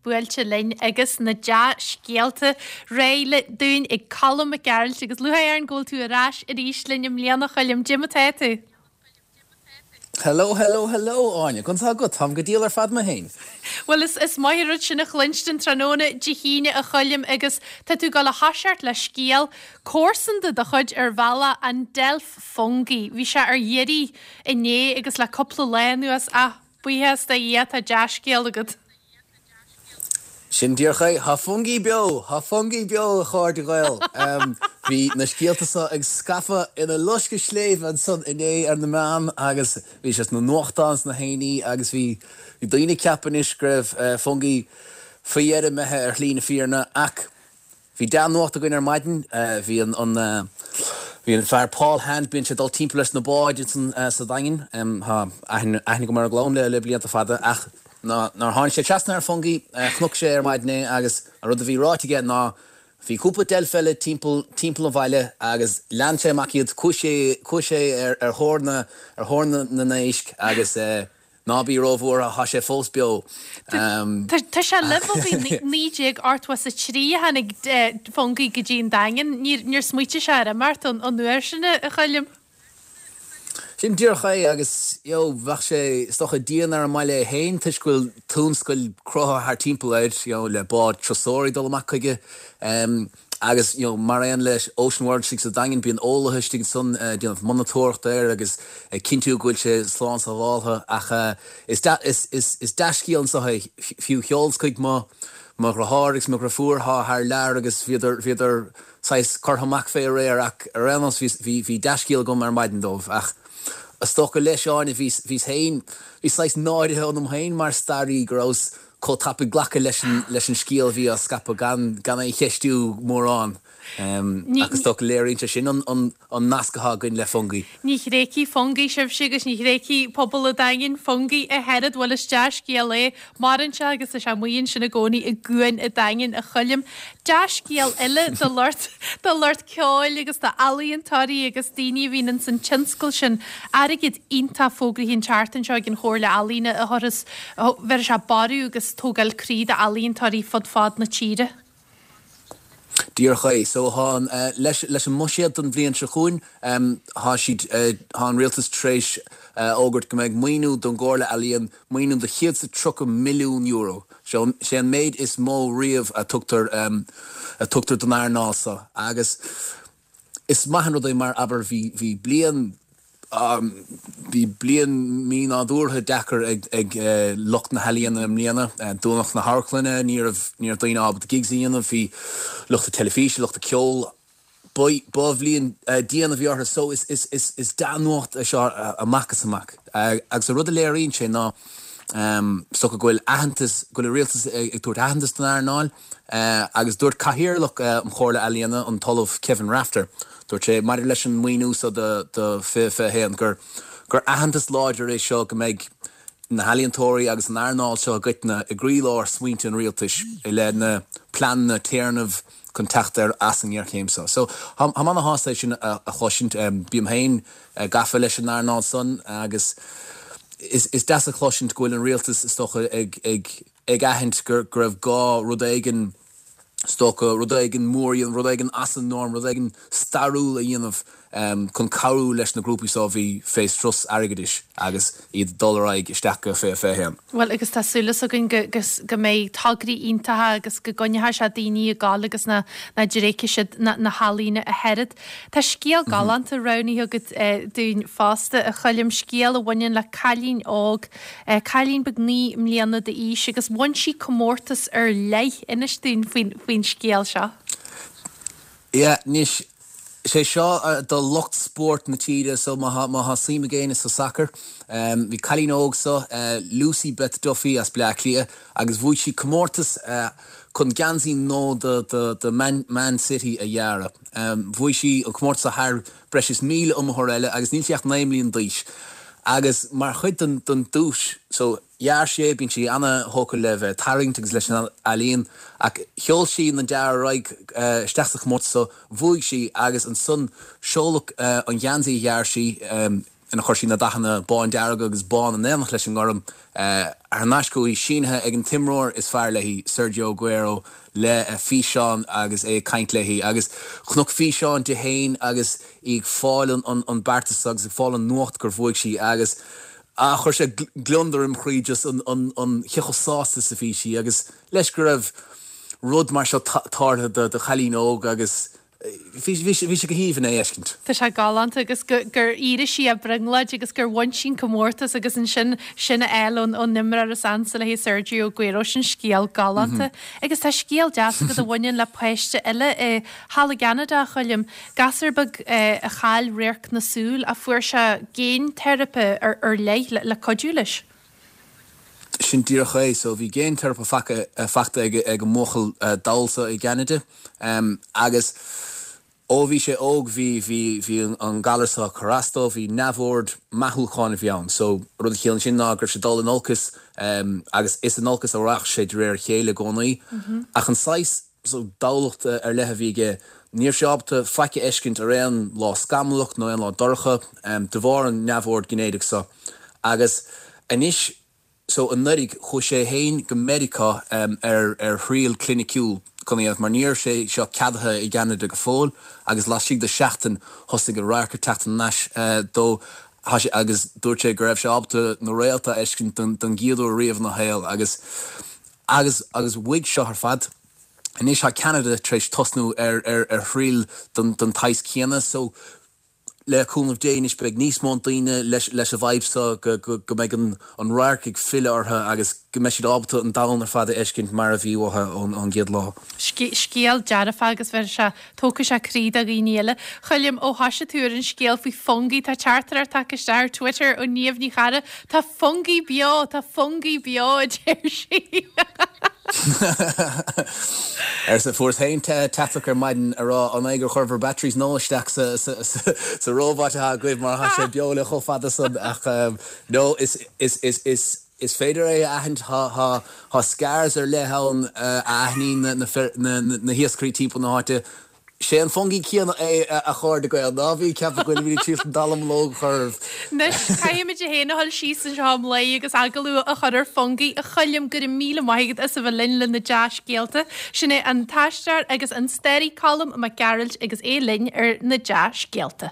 buailte linn agus na dea-scéalta réidh le dúinn ag Colm Mac Gearailt agus lúcháir orainn go bhfuil tú ar ais arís linn i mbliana, a Choilm. Cad é mar atá tú? Hello, hello, hello, Áine. Conas tá agat? Táim go diail ar fad mé féin. Bhuel, is is maith an rud sin a chluinstin tráthnóna Dé hAoine, a Choilm, agus tá tú ag dul a thoiseacht le scéal comharsanda do chuid ar bhealach, an deilf Fungie. Bhí sé ar iarraidh inné agus le cúpla lá anuas ach buíochas do Dhia tá dea-scéal agat. Sin díreach é. Tá Fungie beo! Tá Fungie beo, a chairde Gael! Bhí na scéalta seo ag scaipeadh ina loscadh sléibhe ansan inné ar na meáin agus bhí sé sna nuachtáin sna haonaí agus bhí daoine ag ceapadh anois go raibh Fungie faoi dheireadh imithe ar shlí na fírinne ach Bhí dea-nuacht againn ar maidin. Bhí an bhí an fear Paul Hand, bíonn sé ag dul timpeall leis na báid ansan sa Daingean. Tá aithne agam ar an gclann le le blianta fada ach nuair tháinig sé trasna ar Fungie, chonaic sé ar maidin é agus an rud a bhí ráite aige ná bhí cúpla deilf eile timpeall timpeall an bhaile agus lean sé amach iad, chuaigh sé chuaigh sé ar ar thóir na ar thóir na na n-éisc agus Ná bí róbhuartha, tá sé fós beo. Tá sé libh ó bhí 1983 a tháinig Fungie go dtí an Daingean. Níor smaoitigh sé ar imeacht ón uair sin, a Choilm. Sin díreach é agus you know bheadh sé is dócha dian ar an mbaile é féin toisc go bhfuil tionscal cruthaithe thart timpeall air you know le bád turasóirí ag dul amach chuige. Agus, you know, mar aon le Ocean World istigh sa Daingean, bíonn eolaithe istigh ansan ag déanamh monatóireachta air agus ag cinntiú go bhfuil sé slán sábháltha. Ach is is dea-scéal anso é. Fiú sheolas chuig mo mo dhriotháir agus mo dhriofúr atá thar lear agus bhíodar bhíodar saghas curtha amach fé aréir ach ar aon nós bhí bhí bhí dea-scéal agam ar maidin dóibh. Ach is dócha leis, Áine, bhíos bhíos féin, bhí saghas náirithe ionam féin mar staraí go rabhas chomh tapaidh glacadh leis an leis an scéal a bhí á scaipeadh gan gan é a cheistiú mórán. Ach is dócha léiríonn sé sin an an an nasc atá againn le Fungie. Ní thréigfidh Fungie sibhse agus ní thréigfidh pobal an Daingin Fungie ach oiread. Bhuel is dea-scéal é. Maireann sé agus tá sé amuigh ansin i gcónaí i gcuan an Daingin, a Choilm. Dea-scéal eile do lucht do lucht ceoil agus d'ealaíontóirí agus daoine a bhíonn ins an tionscal sin. Airgead iontach fógraithe an tseachtain seo ag an Chomhairle Ealaíona a thabharfas, bhéarfas sé borradh agus tógáil croí d'ealaíontóirí fud fad na tíre. Díreach é. So thá an, leis, leis an mbuiséad don bhliain seo chugainn, thá siad, thá an Rialtas tar éis a fhógairt go mbeidh maoiniú don gComhairle Ealaíon, maoiniú de €130 milliún. Seo, sé an méid is mó riamh a tugtar, a tugtar don earnáil seo agus is maith an rud é mar, abair, bhí, bhí bliain, Bhí bliain mí-nádúrtha deacair ag lucht na healaíona i mbliana. Dúnadh na hamharclanna, ní raibh daoine ábalta gigs a dhéanamh, bhí lucht na teilifíse, lucht an ceoil, ba bhliain dian a bhí orthu. So is dea-nuacht é seo amach is amach. Agus an rud a léiríonn sé ná is dócha go bhfuil aitheantas, go bhfuil an rialtas ag tabhairt aitheantas don earnáil. Agus dúirt Cathaoirleach an Chomhairle Ealaíona, an tOllamh Kevin Rafter, dúirt sé, maidir leis an maoiniú seo do 2021, gur gur aitheantas láidir é seo go mbeidh na healaíontóirí agus an earnáil seo i gcoitinne i gcroílár smaointe an rialtais i leith na pleananna téarnaimh chun teacht ar as an ngéarchéim seo. So, táim ana-shásta é sin a chloisint. Bím féin gafa leis an earnáil san agus is deas a chloisint go bhfuil an rialtas, is dócha, ag ag ag aithint go raibh gá rud éigin, is dócha, rud éigin mór a dhéanamh, rud éigin as an norm, rud éigin stairiúil a dhéanamh chun cabhrú leis na grúpaí seo a bhí fé strus airgeadais agus iad ag dul ar aghaidh isteach go 2021. Bhuel, agus tá súil againn go, go, go mbeidh tograí iontacha agus go gcoinneoidh sé daoine ag gabháil agus nach dtréigfidh siad na, na healaíona ach oiread. Tá scéal galánta roghnaithe agat dúinn fosta, a Choilm, scéal a bhaineann le cailín óg Cailín beag 9 mbliana d'aois agus bhain sí comórtas ar leith. Inis dúinn faoin scéal seo. Yeah, anois, sé seo do lucht spóirt na tíre so má tá suim ag éinne sa sacar. Bhí cailín óg so, Lucy Beth Duffy as Bleá Cliath agus bhuaigh sí comórtas chun geansaí nua do Man City a dhearadh. Bhuaigh sí an comórtas seo thar breis is 1,000 iomaitheoir eile agus níl sí ach 9 mbliana d'aois. Agus mar chuid den den duais so, dhear sí é, bíonn sí ana-thógtha le bheith ag tarraingt agus leis an ealaín, ach sheol sí an dearadh ar aghaidh isteach sa chomórtas so, bhuaigh sí agus ansan seoladh an geansaí a dhear sí. ina chuir sí na dathanna bándearg agus bán in éineacht leis an ngorm thar n-ais chuici, sínithe ag an t-imreoir is fearr léi, Sergio Aguero, le físeán agus é ag caint léi. Agus chonac físeán di féin agus í ag fáil an beartas agus ag fáil an nuacht gur bhuaigh sí agus chuir sé gliondar im chroí just an cé chomh sásta is a bhí sí agus leis go raibh rud mar seo tarlaithe do chailín óg agus Bhí sé go haoibhinn é a fheiscint. Tá sé galánta agus gur éirigh sí as brionglóid agus gur bhain sí an comórtas agus ansin sin a fháil ón imreoir is ansa léi Sergio Aguero, sin scéal galánta. Agus tá scéal deas agat a bhaineann le páiste eile i thall i gCeanada, a Choilm, gasúr beag a chaill radharc na súl ach fuair sé géinteiripe ar leith le cuidiú leis. Sin díreach é. So bhí géinteiripe faighte ag an mbuachaill dall seo i gCeanada agus ó bhí sé óg bhí, bhí, bhí an galar seo ag cur as dó, bhí neamhord meathúcháin a bhí ann. So rud a chiallaíonn sin ná go raibh sé ag dul in olcas agus is in olcas a rachadh sé de réir a chéile i gcónaí. Ach an saghas so dallacht ar leith a bhí aige. Ní raibh sé ábalta faic a fheiscint ar aon lá scamallach nó aon lá dorcha de bharr an neamhord ginéideach so. Agus anois so anuraidh chuaigh sé féin go Meiriceá ar ar thriail cliniciúil chun é a dhéanamh mar ní raibh sé seo ceadaithe i gCeanada go fóill agus laistigh de sheachtain thosaigh an radharc ag teacht thar n-ais dó agus dúirt sé go raibh sé ábalta na réalta a fheiscint don gcéad uair riamh ina shaol agus Agus agus uaidh seo ar fad, anois tá Ceanada tar éis tosnú ar ar ar thriail don don tsaghas céanna so le cúnamh Dé anois beidh níos mó daoine leis leis an bhfadhb seo go go go mbeidh an an radharc ag filleadh orthu agus go mbeidh siad ábalta an domhan ar fad a fheiscint mar a bhí uathu ón ón gcéad lá. Scéal dearfach agus bheir sé Tógfaidh sé croí do dhaoine eile. Choilm, ó thoisigh tú ar an scéal faoi Fungie, tá teachtaireacht tagtha isteach ar Twitter ó Niamh Ní Charra, Tá Fungie beo! Tá Fungie beo! a deir sí. Arsa, fuaireas féin teachtaireacht ar maidin a rá an é gur chuir bhur batteries nua isteach sa robot atá agaibh mar tá sé beo le chomh fada san ach no is is is is Is féidir é a aithint, tá scars ar leith ann a aithníonn na hiascairí timpeall na háite. Sé an Fungie céanna é a chairde Gael, ná bí ag ceapadh go bhfuilimid ag triail an dallamullóg a chur oraibh. Anois, caithfimid féin a dhul síos anseo i mBlaigh agus agallamh a chur ar Fungie. A Choilm, go raibh míle maith agat as a bheith linn le na dea-scéalta. Sin é an t-aisteoir agus an staraí Colm Mac Gearailt agus é linn ar na dea-scéalta.